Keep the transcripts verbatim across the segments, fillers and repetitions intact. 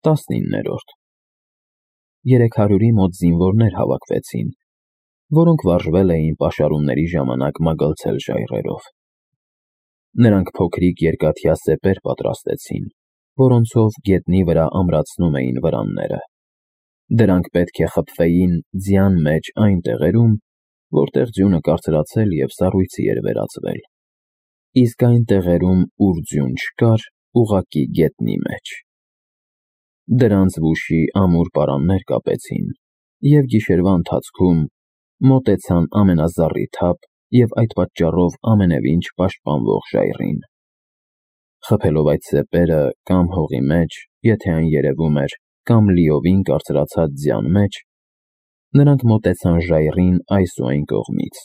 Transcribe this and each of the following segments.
տասնիններորդ Երեք հարյուրի մոտ զինվորներ հավաքվեցին, որոնք վարժվել էին պաշարումների ժամանակ մագլցել ժայռերով։ Նրանք փոքրիկ երկաթյա սեպեր պատրաստեցին, որոնցով գետնի վրա ամրացնում էին վրանները։ Դրանք պետք է խփվեին ձյան մեջ այն տեղերում, որտեղ ձյունը կարծրացել և սառույցի էր վերածվել, իսկ այն տեղերում, ուր ձյուն չկար, ուղղակի գետնի մեջ։ Դրանց վուշի ամուր պարաններ կապեցին և գիշերվա ընթացքում մոտեցան ամենազառիթափ և այդ պատճառով ամենևին չպաշտպանվող ժայռին։ Խփելով այդ սեպերը կամ հողի մեջ, եթե այն երևում էր, կամ լիովին կարծրացած ձյան մեջ, նրանք մոտեցան ժայռին այս ու այն կողմից։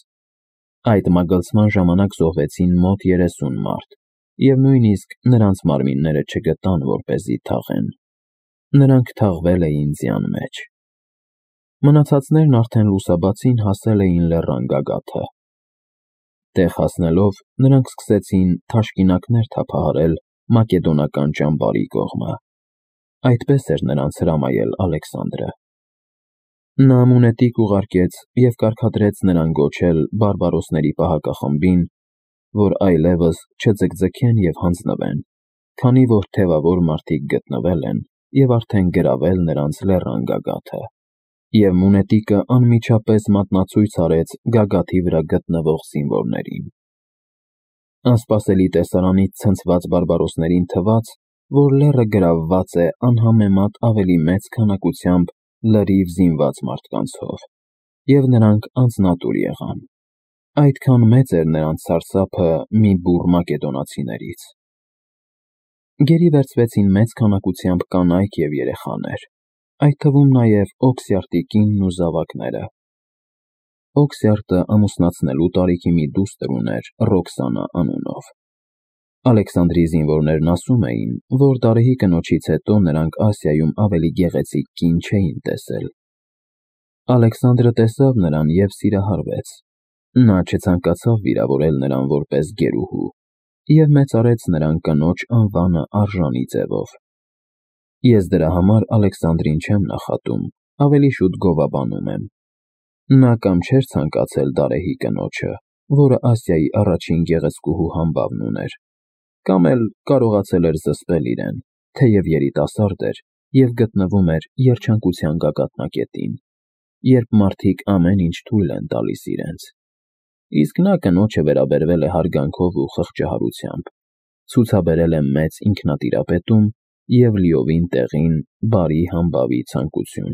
Այդ մագլցման ժամանակ զոհվեցին մոտ երեսուն մարդ, և նույնիսկ նրանց մարմինները չգտան, որպեսզի թաղեն։ Նրանք թաղվել էին ձյան մեջ։ Մնացածներն արդեն լուսաբացին հասել էին լեռան գագաթը։ Տեղ հասնելով, նրանք սկսեցին թաշկինակներ թափահարել մակեդոնական ճամբարի կողմը։ Այդպես էր նրանց հրամայել Ալեքսանդրը։ Նա մունետիկ ուղարկեց և կարգադրեց նրան գոչել բարբարոսների պահակախմբին, որ այլևս չձգձգեն և հանձնվեն, քանի որ թևավոր մարդիկ գտնվել են և արդեն գրավել նրանց լեռան գագաթը, և մունետիկը անմիջապես մատնացույց արեց գագաթի վրա գտնվող զինվորներին։ Անսպասելի տեսարանից ցնցված բարբարոսներին թվաց, որ լեռը գրավված է անհամեմատ ավելի մեծ քանակությամբ լրիվ զինված մարդկանցով, և նրանք անձնատուր եղան։ Այդքան մեծ էր նրանց սարսափը մի բուռ մակեդոնացիներից։ Գերի վերցվեցին մեծ քանակությամբ կանայք և երեխաներ, այդ թվում նաև Օքսյարտի կինն ու զավակները։ Օքսյարտը ամուսնացնելու տարիքի մի դուստր ուներ Ռոքսանա անունով։ Ալեքսանդրի զինվորներն ասում էին, որ դարեհի կնոջից հետո նրանք Ասիայում ավելի գեղեցիկ կին չէին տեսել։ Ալեքսանդրը տեսավ նրան և սիրահարվեց։ Նա չցանկացավ վիրավորել նրան որպես գերուհու և մեծարեց նրան կնոջ անվանը արժանի ձևով։ Ես դրա համար Ալեքսանդրին չեմ նախատում, ավելի շուտ գովաբանում եմ։ Նա կամ չէր ցանկացել դարեհի կնոջը, որը Ասիայի առաջին գեղեցկուհու համբավն ուներ, կամ էլ կարողացել էր զսպել իրեն, թեև երիտասարդ էր և գտնվում էր երջանկության գագաթնակետին, երբ մարդիկ ամեն ինչ թույլ են տալիս իրենց։ Իսկ նա կնոջը վերաբերվել է հարգանքով ու խղճահարությամբ, ցուցաբերել է մեծ ինքնատիրապետում և լիովին տեղին բարի համբավի ցանկություն։